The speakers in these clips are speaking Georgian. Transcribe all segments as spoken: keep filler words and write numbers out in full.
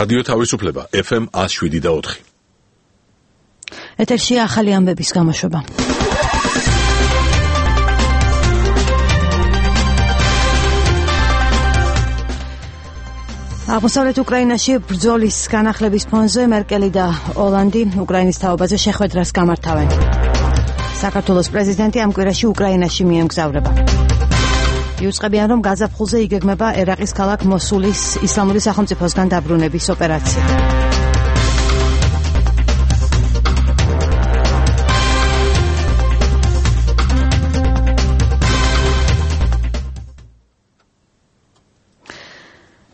რადიო თავისუფლება ეფ ემ ათს შვიდი და ოთხი. ეთერში ახალი ამბების გამოშვება. აღმოსავლეთ უკრაინაში ბრძოლის განახლების ფონზე მერკელი და ოლანდი უკრაინის თაობაზე შეხვედრას გამართავენ. საქართველოს პრეზიდენტი ამ კვირაში უკრაინაში მიემგზავრება. იუწყებიან, რომ გაზაფხულზე იგეგმება ერაყის ქალაქ მოსულის ისლამური სახელმწიფოსგან დაბრუნების ოპერაცია.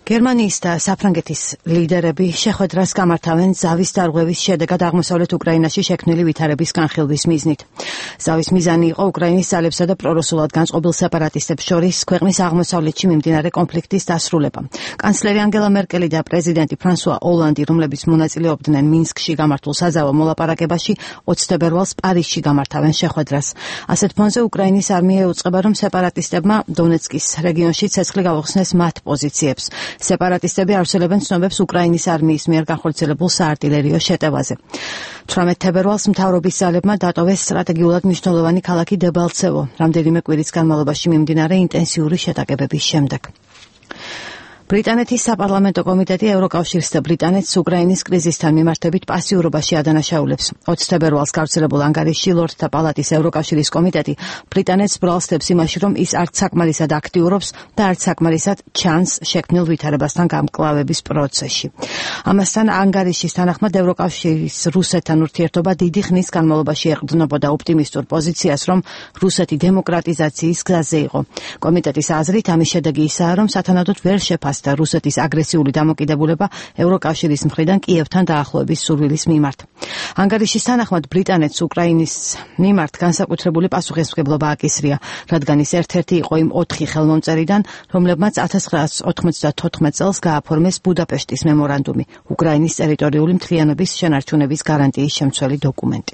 გერმანიის და საფრანგეთის ლიდერები შეხვედრას გამართავენ ზავის დარღვევის შედეგად აღმოსავლეთ უკრაინაში შექმნილი ვითარების განხილვის მიზნით. ზავის მიზანი იყო უკრაინის ძალებსა და პრორუსულად განწყობილ სეპარატისტებს შორის ქვეყნის აღმოსავლეთში მიმდინარე კონფლიქტის დასრულება. კანცლერი ანგელა მერკელი და პრეზიდენტი ფრანსუა ოლანდი, რომლებიც მონაწილეობდნენ მინსკში გამართულ საზავო მოლაპარაკებაში, ოცი თებერვალს პარიზში გამართავენ შეხვედრას. ასეთ ფონზე უკრაინის არმია ეუწყება, რომ სეპარატისტებმა დონეცკის რეგიონში ცეცხლი გაუხსნეს მათ პოზიციებს. სეპარატისტები ავრცელებენ ცნობებს უკრაინის არმიის მიერ განხორციელებულ საარტილერიო შეტევაზე. თვრამეტ თებერვალს მთავრობის ძალებმა დატოვეს სტრატეგიულად მნიშვნელოვანი ქალაქი დებალცევო, რამდენიმე კვირის განმავლობაში მიმდინარე ინტენსიური შეტაკებების შემდეგ. ბრიტანეთის საპარლამენტო კომიტეტი ევროკავშირს და ბრიტანეთს უკრაინის კრიზისთან მიმართებით პასიურობაში ადანაშაულებს. ოცი თებერვალს გავრცელებულ ანგარიშში ლორდთა პალატის ევროკავშირის კომიტეტი ბრიტანეთს ბრალსდებს იმაში, რომ ის არც საკმარისად აქტიურობს და არც საკმარისად ჩანს შექმნილ ვითარებასთან გამკლავების პროცესში. ამასთან ანგარიშის თანახმად ევროკავშირის რუსეთთან ურთიერთობა დიდი ხნის განმავლობაში ეყრდნობოდა ოპტიმისტურ პოზიციას, რომ რუსეთი დემოკრატიზაციის გზაზე იყო. კომიტეტის აზრით ამის შედეგი ისაა, რომ სათანადოდ ვერ შეფასდა და რუსეთის აგრესიული დამოკიდებულება ევროკავშირის მხრიდან კიევთან დაახლოების სურვილის მიმართ. ანგარიშის თანახმად ბრიტანეთს უკრაინის მიმართ განსაკუთრებული პასუხისმგებლობა აკისრია, რადგან ის ერთ-ერთი იყო იმ ოთხი ხელმომწერიდან, რომლებმაც ათას ცხრაასი ოცდათოთხმეტ წელს გააფორმეს ბუდაპეშტის მემორანდუმი, უკრაინის ტერიტორიული მთლიანობის შენარჩუნების გარანტიის შემცველი დოკუმენტი.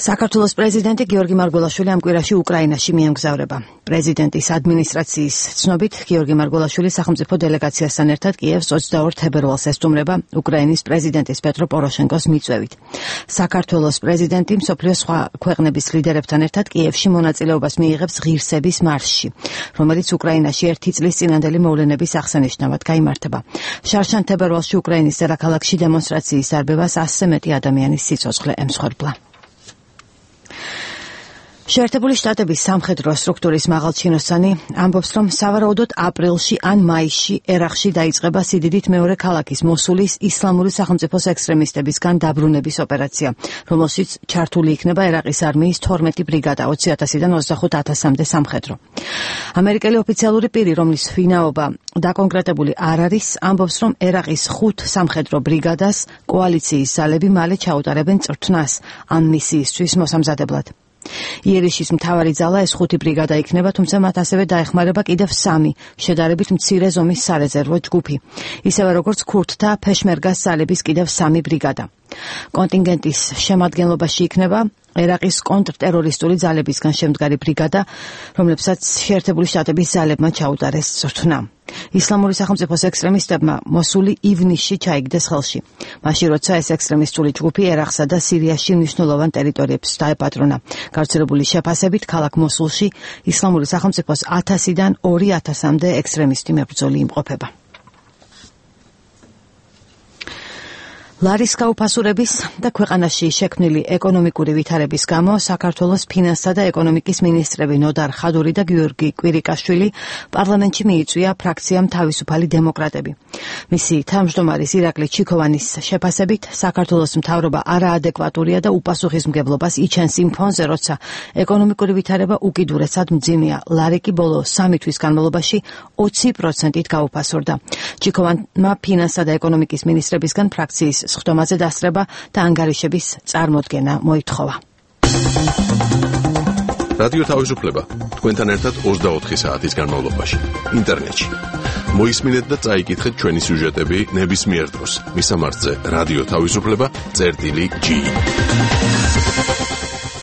საქართველოს პრეზიდენტი გიორგი მარგველაშვილი ამ კვირაში უკრაინაში მიემგზავრება. პრეზიდენტის ადმინისტრაციის ცნობით, გიორგი მარგველაშვილი სახელმწიფო დელეგაციასთან ერთად კიევს ოცდაორ თებერვალს ესტუმრება უკრაინის პრეზიდენტის პეტრო პოროშენკოს მიწვევით. საქართველოს პრეზიდენტი მსოფლიოს სხვა ქვეყნების ლიდერებთან ერთად კიევში მონაწილეობას მიიღებს ღირსების მარშში, რომელიც უკრაინაში ერთი წლის წინანდელი მოვლენების აღსანიშნავად გაიმართება. შარშან თებერვალში უკრაინის დედაქალაქში დემონსტრაციის დარბევას ასზე მეტი ადამიანის სიცოცხლე ემსხვერპლა. შეერთებული შტატების სამხედრო სტრუქტურის მაღალჩინოსანი ამბობს, რომ სავარაუდოდ აპრილში ან მაისში ერაყში დაიწყება სიდიდით მეორე ქალაქის მოსულის ისლამური სახელმწიფოს ექსტრემისტებისგან დაბრუნების ოპერაცია, რომელშიც ჩართული იქნება ერაყის არმიის თორმეტი ბრიგადა ოცი ათასიდან ოცდახუთ ათასამდე სამხედრო. ამერიკელი ოფიციალური პირი, რომლის ვინაობა დაკონკრეტებული არ არის, ამბობს, რომ ერაყის ხუთ სამხედრო ბრიგადას კოალიციის ძალები მალე ჩაუტარებენ წვრთნას ამ მისიისთვის მოსამზადებლად. იერიშის მთავარი ძალა ეს ხუთი ბრიგადა იქნება, თუმცა მათ ასევე დაეხმარება კიდევ სამი შედარებით მცირე ზომის სარეზერვო ჯგუფი, ისევე როგორც ქურთთა ფეშმერგას ძალების კიდევ სამი ბრიგადა. კონტინგენტის შემადგენლობაში იქნება ერაყის კონტრტერორისტული ძალებისგან შემდგარი ბრიგადა, რომლებსაც შეერთებული შტატების ძალებმა ჩაუტარეს წვრთნა. ისლამური სახელმწიფოს ექსტრემისტებმა მოსული ივნისში ჩაიგდეს ხელში, მაშინ როცა ეს ექსტრემისტული ჯგუფი ერაყსა და სირიაში მნიშვნელოვან ტერიტორიებს დაეპატრონა. გავრცელებული შეფასებით, ქალაქ მოსულში ისლამური სახელმწიფოს ათასიდან ორი ათასამდე ექსტრემისტი მებრძოლი იმყოფება. ლარის გაუფასურების და ქვეყანაში შექმნილი ეკონომიკური ვითარების გამო საქართველოს ფინანსთა და ეკონომიკის მინისტრები ნოდარ ხადური და გიორგი კვირიკაშვილი პარლამენტში მიიწვია ფრაქციამ თავისუფალი დემოკრატები. მისი თავმჯდომარის ირაკლი ჩიქოვანის შეფასებით, საქართველოს მთავრობა არაადეკვატურია და უპასუხისმგებლობას იჩენს იმ ფონზე, როცა ეკონომიკური ვითარება უკიდურესად მძიმეა. ლარი კი ბოლო სამი თვის განმავლობაში ოცი პროცენტით გაუფასურდა. ჩიქოვანმა ფინანსთა და ეკონომიკის მინისტრებისგან ფრაქციის სხდომაზე დასწრება და ანგარიშების წარმოდგენა მოითხოვა. რადიო თავისუფლება თქვენთან ერთად ოცდაოთხი საათის განმავლობაში ინტერნეტში. მოისმინეთ და წაიკითხეთ ჩვენი სიუჟეტები ნებისმიერ დროს. მისამართზე რადიო თავისუფლება წერტილი ჯი.